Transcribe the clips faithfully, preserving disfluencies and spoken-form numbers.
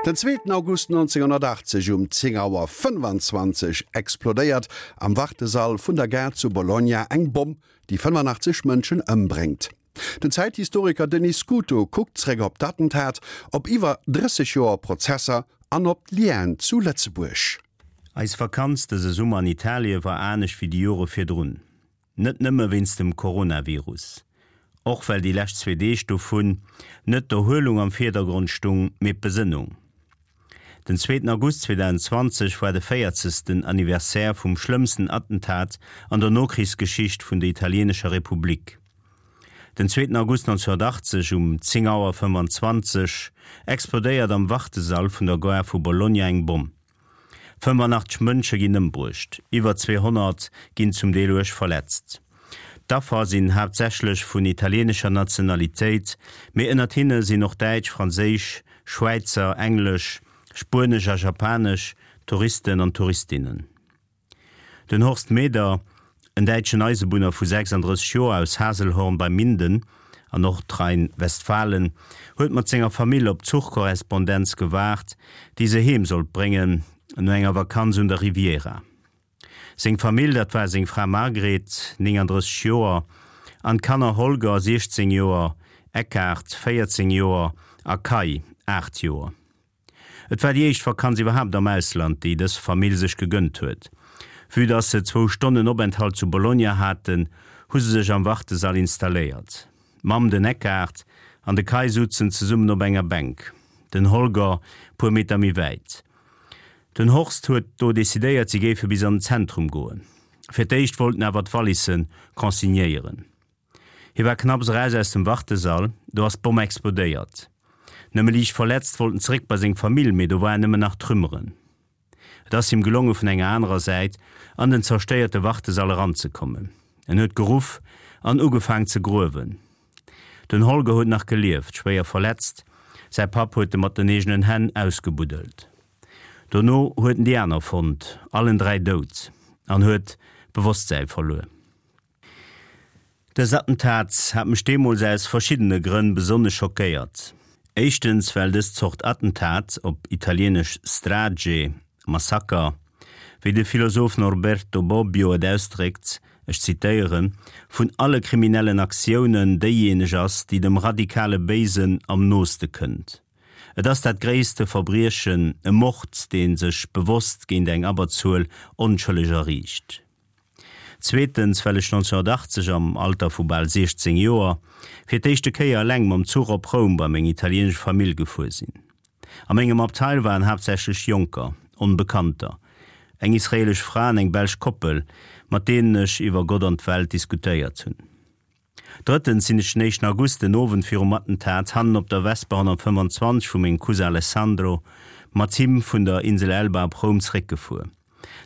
Den zweeten August nonzénghonnertachtzeg um zéng Auer fënnefanzwanzeg explodéiert am Wartesall vun der Gare zu Bologna eng Bomm, déi fënnefenachtzeg Mënschen ëmbréngt. Den Zäithistoriker Denis Scuto kuckt zréck op d'Attentat, op iwwer drësseg Joer Prozesser an op d'Lienen zu Lëtzebuerg. Eis Vakanz dëse Summer an Italie war anescht wéi déi Jore virdrun. Net nëmme wéinst dem Coronavirus. Och well déi lescht zwee Deeg dovun net d'Erhuelung am Virdergrond stung, mee d'Besënnung. Den zweeten August zweedausendzwanzeg war de véierzegsten Anniversaire vum schlëmmsten Attentat an der Nokrichsgeschicht vun der italieenescher Republik. Den zweeten August nonzehnhunnertachtzeg um zéng Auer fënnefanzwanzeg explodéiert am Wartesall vun der Gare vu Bologna eng Bomm. fënnefenachtzeg Mënsche ginn ëmbruecht, iwwer zweehonnert ginn zum Deel uerg verletzt. D'Affer sinn haaptsächlech vun italieenescher Nationalitéit, mee ënnert hinne sinn och däitsch, franséisch, Schwäizer, englesch, spuenesch a japanesch Touristen an Touristinnen. Den Horst Meder, en däitschen Eisebunner vu sechsanddrësseg Joer aus Haselhorn bei Minden an Nordrhein-Westfalen, huet mat senger Famill op d'Zuchkorrespondenz gewaart, déi se heem sollt bréngen no enger Vakanz un der Riviera. Seng Famill, dat war seng Fra Margret, néngandrësseg Joer, an d'Kanner Holger, siechzéng Joer, Eckhard, véierzéng Joer, a Kai, aacht Joer. Et war déi éischt Vakanz iwwerhaapt am Ausland, déi dës Famill sech gegënnt huet. Vue dass se zwou Stonnen Openthalt zu Bologna haten, hu se sech am Wartesall installéiert. D'Mamm, den Eckhard an de Kai sutzen zesummen op enger Bänk, den Holger puer Meter méi wäit. Den Horst huet do decidéiert, si géife bis an den Zentrum goen. Fir d'éischt wollt en awer d'Wallisse consignéieren. Hie war knapps eraus aus dem Wartesall, do ass d'Bomm explodéiert. Nëmme liicht verletzt wollt en zeréck bei seng Famill, mee do waren nëmmen nach Trümmeren. Et ass him gelonge vun enger anerer Säit an den zerstéierte Wartesall eranzekommen. En huet geruff an ugefaang ze gruewen. Den Holger huet nach gelieft, schwéier verletzt, säi Papp huet e mat den eegenen Hänn ausgebuddelt. Dono huet en déi aner fonnt, allen dräi dout, an huet d'Bewosstsäi verluer. Dës Attentat hat mech deemools aus verschiddene Grënn besonnesch schockéiert. Éischtens, well dës Zort Attentat, op Italieenesch strage, Massaker, wéi de Philosoph Norberto Bobbio et ausdréckt, ech zitéieren, vun alle kriminellen Aktiounen déijéineg ass, déi dem radikale Béisen am nooste kënnt. Et ass dat gréisste Verbriechen, e Mord, dee sech bewosst géint eng Abberzuel Onschëlleger riicht. Zweetens, well ech nonzehnhunnertachtzeg, am Alter vu bal siechzéng Joer, fir d'éischte Kéier eleng mam Zuch op Roum bei meng italieenesch Famill gefuer sinn. A mengem Abteil waren haaptsächlech Jonker, Onbekannter, eng israelesch Fra an eng belsch Koppel, mat deenen ech iwwer Gott an d'Welt diskutéiert hunn. Drëttens sinn ech den éischten August, den Owend virum Attentat, hannen op der Vespa honnertfënnefanzwanzeg vu mengem Cousin Alessandro, mat him vun der Insel Elba op Roum zeréckgefuer.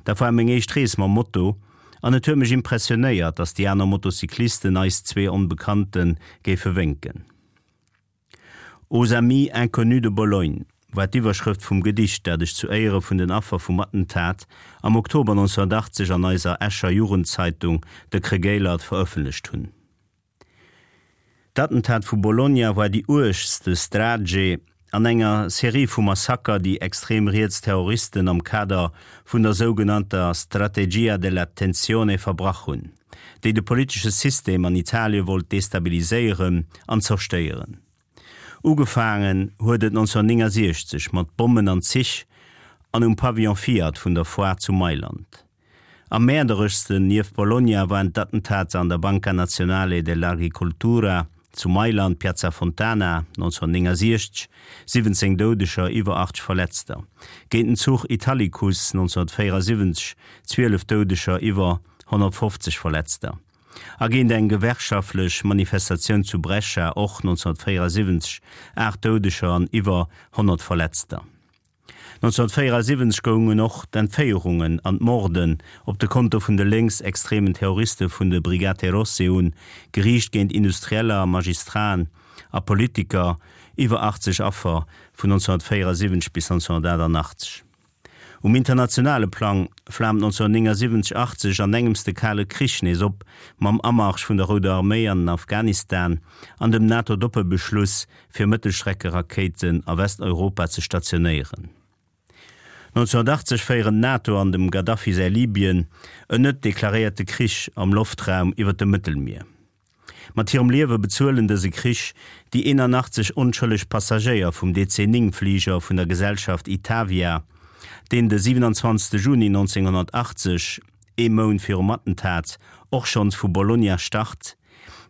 Dat war meng éischt Rees mam Moto an et huet mech impressionéiert, dass déi aner Motocyclisten eis zwee Onbekannte géife wénken. Aux amis inconnus de Bologne war d'Iwwerschrëft vum Gedicht, dat ech zu Éiere vun den Affer vum Attentat am Oktober nonzehnhunnertachtzeg an eiser Escher Jugendzeitung De Kregéilert verëffentlecht hunn. D'Attentat vu Bologna war déi uergste Strage an enger Serie vu Massaker, déi extrem riets Terroristen am Kader vun der sougenannter Strategia della tensione verbrach hunn, déi de politesche System an Italie wollt destabiliséieren an zerstéieren. Ugefaangen huet et nonzehnhunnertnéngasiechzeg mat Bommen an Zich an um Pavillon Fiat vun der Foire zu Mailand. Am mäerdereschsten nieft Bologna waren d'Attentater an der Banca Nazionale dell'Agricoltura zu Mailand, Piazza Fontana, nonzehnhunnertnéngasiechzeg, siwwenzéng Doudeger, iwwer achtzeg Verletzter, géint den Zuch Italicus, nonzehnhunnertvéierasiwwenzeg, zwielef Doudeger, iwwer honnertfofzeg Verletzter, a géint eng gewerkschaftlech Manifestatioun zu Brescia, och nonzehnhunnertvéierasiwwenzeg, aacht Doudeger an iwwer honnert Verletzter. nonzehnhunnertvéierasiwwenzeg goungen och d'Entféierungen an d'Morden op de Konto vun de lénksextremen Terroriste vun de Brigate Rosse un, geriicht géint Industrieller, Magistraten a Politiker, iwwer achtzeg Affer vun nonzehnhunnertvéierasiwwenzeg bis nonzehnhunnertachtannachtzeg. Um internationale Plang flaamt neunzehnhundertnéngasiwwenzeg achtzeg an engems de Kale Krich nees op, mam Amarsch vun der Rouder Arméi an den Afghanistan an dem NATO-Doppelbeschluss, fir Mëttelstreckerakéiten a Westeuropa ze stationéieren. neunzehnhundertachtzeg féieren d'NATO an dem Gaddafi säi Libyen en net deklaréierte Krich am Loftraum iwwer dem Mëttelmier. Mat hirem Liewe bezuelen dëse Krich déi eenanachtzeg onschëlleg Passagéier vum D C néng Fliger vun der Gesellschaft Itavia, deen de siwenanzwanzegste Juni neunzehnhundertachtzeg, ee Mount virum Attentat, och schonns vu Bologna start,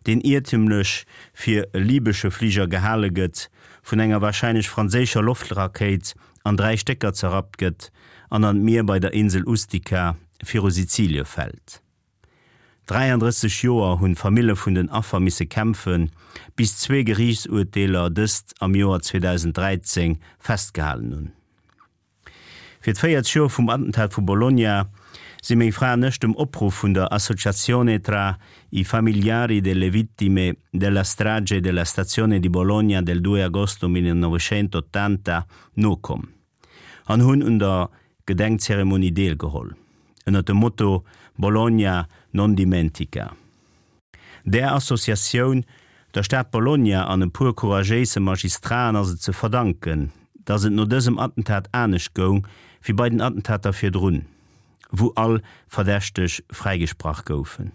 deen iertemlech fir e libesche Fliger gehale gëtt, vun enger warscheinlech franséischer Loftrakéit an dräi Stécker zerrappt gëtt an an d'Mier bei der Insel Ustica viru Sizilie fält. Dräiandrësseg Joer hunn d'Famille vun den Affer misse kämpfen, bis zwee Geriichtsurteeler dëst am Joer zweedausenddräizéng festgehalen hunn. Fir d'véiertz Joer vum Attentat vu Bologna si meng Fra an ech dem Opruff vun der Associazione tra i familiari delle vittime della strage della stazione di Bologna del due agosto millenovecentottanta nokomm an hunn un der Gedenkzeremonie deelgeholl, ënner dem Motto Bologna non dimentica. Där Associatioun, der Stad Bologna an e puer couragéise Magistraten ass et ze verdanken, datt et no dësem Attentat anescht goung wéi bei den Attentater virdrun, wou all Verdächteg fräigesprach goufen.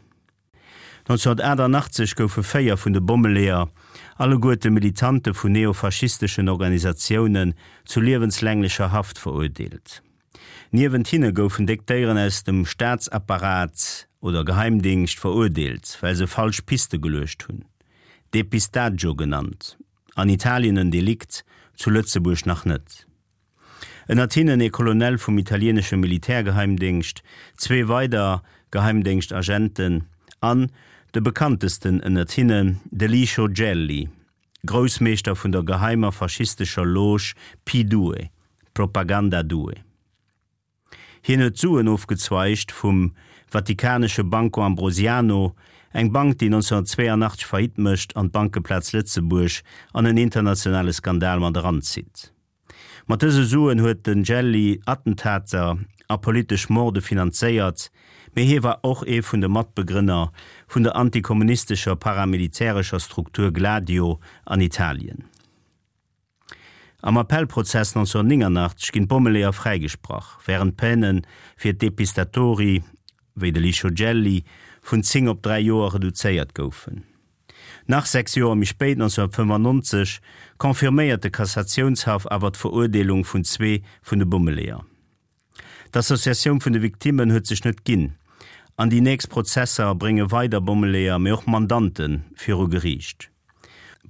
neunzehnhundertachtundachtzeg goufe véier vun de Bommeleeër, alleguerte Militante vun neofaschisteschen Organisatiounen, zu liewenslänglecher Haft verurteelt. Niewent hinne goufen déck Déieren aus dem Staatsapparat oder Geheimdingscht verurteelt, well se falsch Piste geluecht hunn, Depistaggio genannt, an Italien en Delikt, zu Lëtzebuerg nach net. Ënnert hinnen ee Colonel vum italieenesche Militärgeheimdéngscht, zwee weider Geheimdéngschtagenten an, de bekanntesten ënnert hinnen, de Licio Gelli, Groussmeeschter vun der geheimer faschistescher Loge P Due, Propaganda Due. Hien huet Suen ofgezweigt vum vatikanesche Banco Ambrosiano, eng Bank, déi neunzehnhundertzweiundachtzeg Faillite mécht an d'Bankeplaz Lëtzebuerg an en internationale Skandal mat eranzitt. Mat dëse Suen huet den Gelli Attentater a politesch Morde finanzéiert, mee hie war och ee vun de Matbegrënner vun der antikommunistescher paramilitärescher Struktur Gladio an Italien. Am Appellprozess neunzehnhundertneunundachtzeg ginn d'Bommeleeër fräigesprach, wärend d'Peine fir d'Depistatori, wéi de Licio Gelli, vun zéng op dräi Joer reduzéiert goufen. Nach sechs Joer méi spéit, neunzehnhundertfënnefundneunzeg, confirméiert de Kassatiounshaff awer d'Verurdeelung vun zwee vun de Bommeleeër. D'Associatioun vun de Victimmen huet sech net ginn, an déi nächst Prozesser brénge weider Bommeleeër, mee och Mandante viru Geriicht.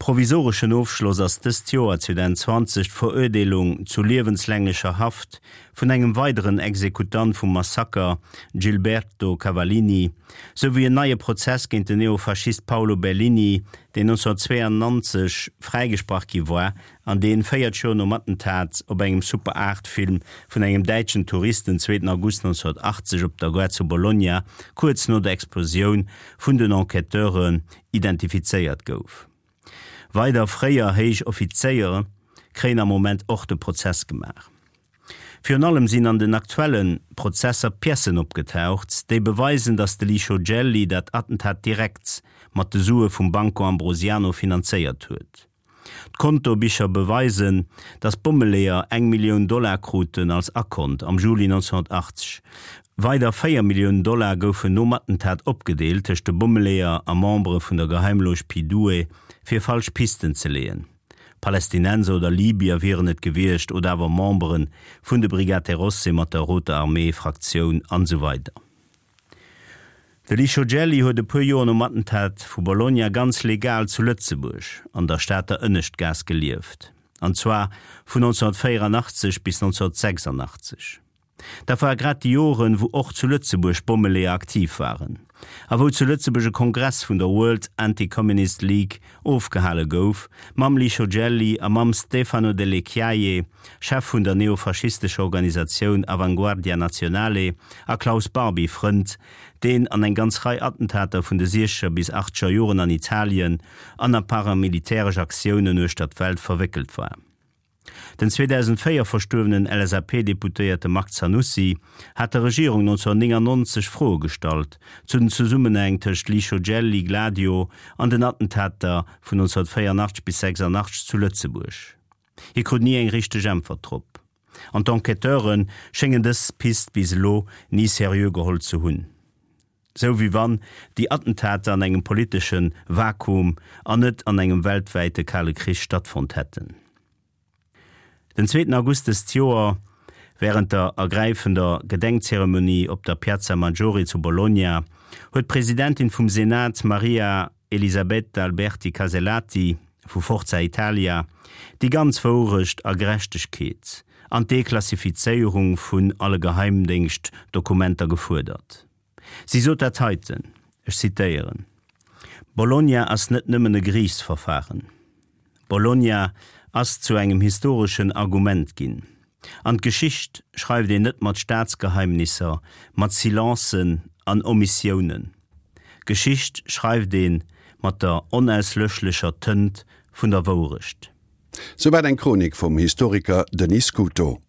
Provisoreschen Ofschloss ass dëst Joer zweedausendzwanzeg d'Verurdeelung zu liewenslänglicher Haft vun engem weideren Exekutant vum Massaker, Gilberto Cavallini, souwéi en neie Prozess géint den Neofaschist Paolo Bellini, deen neunzehnhundertzweiundneunzeg fräigesprach gi war an deen véiert Joer nom Attentat op engem Super-acht-Film vun engem däitschen Tourist den zweeten August neunzehnhundertachtzeg op der Gare zu Bologna kuerz no der Explosioun vun den Enquêteuren identifizéiert gouf. Weider fréier héich Offizéiere kréien am Moment och de Prozess gemaach. Virun allem sinn an den aktuelle Prozesser Piècen opgetaucht, déi beweisen, datt de Licio Gelli dat Attentat direkt mat de Sue vum Banco Ambrosiano finanzéiert huet. D'Kontobicher beweisen, datt d'Bommeleeër eng Millioun Dollar kruten als Akont am Juli neunzehnhundertachtzeg. Weider véier Milliounen Dollar goufen nom Attentat opgedeelt tëscht de Bommeleeër a Membere vun der Geheimloge Pi Due, fir falsch Pisten ze leeën. Palästinenser oder Libyer wieren et gewiescht oder awer Membere vun de Brigate Rosse mat der Roter Armee-Fraktioun an esou weider. De Licio Gelli huet e puer Joer nom Attentat vu Bologna ganz legal zu Lëtzebuerg an der Stater Ënneschtgaass gelieft, an zwar vun neunzehnhundertvéierundachtzeg bis neunzehnhundertsechsundachtzeg. Dat ware grad déi Joren, wou och zu Lëtzebuerg Bommeleeër aktiv waren a wou zu Lëtzebuerg e Kongress vun der World Anti-Communist League ofgehale gouf, mam Licio Gelli a mam Stefano Delle Chiaie, Chef vun der neofaschistescher Organisatioun Avanguardia Nazionale, a Klaus Barbie, Frënd, deen an eng ganz Rei Attentater vun de siechzeger bis achtzeger Joren an Italien an a paramilitäresch Aktiounen uechter d'Welt verwéckelt war. Den zweedausendvéier verstuerwenen L S A P-Deputéierte Marc Zanussi hat der Regierung neunzehnhunnertneunundneunzeg Froe gestallt zu den Zesummenhäng tëscht Licio Gelli, Gladio an den Attentater vun neunzehnhunnertvéierundachtzeg bis sechsundachtzeg zu Lëtzebuerg. Hie krut ni eng richteg Äntwert drop. An d'Enquêteure schéngen dës Pist bis elo ni seriö geholl ze hunn. Sou wéi wann déi Attentater an engem politesche Vakuum an net an engem weltwäite Kale Krich stattfonnt hätten. Den zweeten August dëst Joer, wärend der ergräifender Gedenkzeremonie op der Piazza Maggiore zu Bologna, huet d'Presidentin vum Senat Maria Elisabetta Alberti Casellati vu Forza Italia déi ganz Wourecht a Gerechtegkeet an d'Deklassifizéierung vun alle Geheimdéngschtdokumenter gefuerdert. Si sot dat heiten, ech zitéieren, Bologna ass net nëmmen e Geriichtsverfaren. Bologna ass zu engem historeschen Argument ginn. An d'Geschicht schreift een net mat Staatsgeheimnisser, mat Silencen an Omissiounen. Geschicht schreift ee mat der onauslöschlecher Tënt vun der Wourecht. Souwäit eng Chronik vum Historiker Denis Scuto.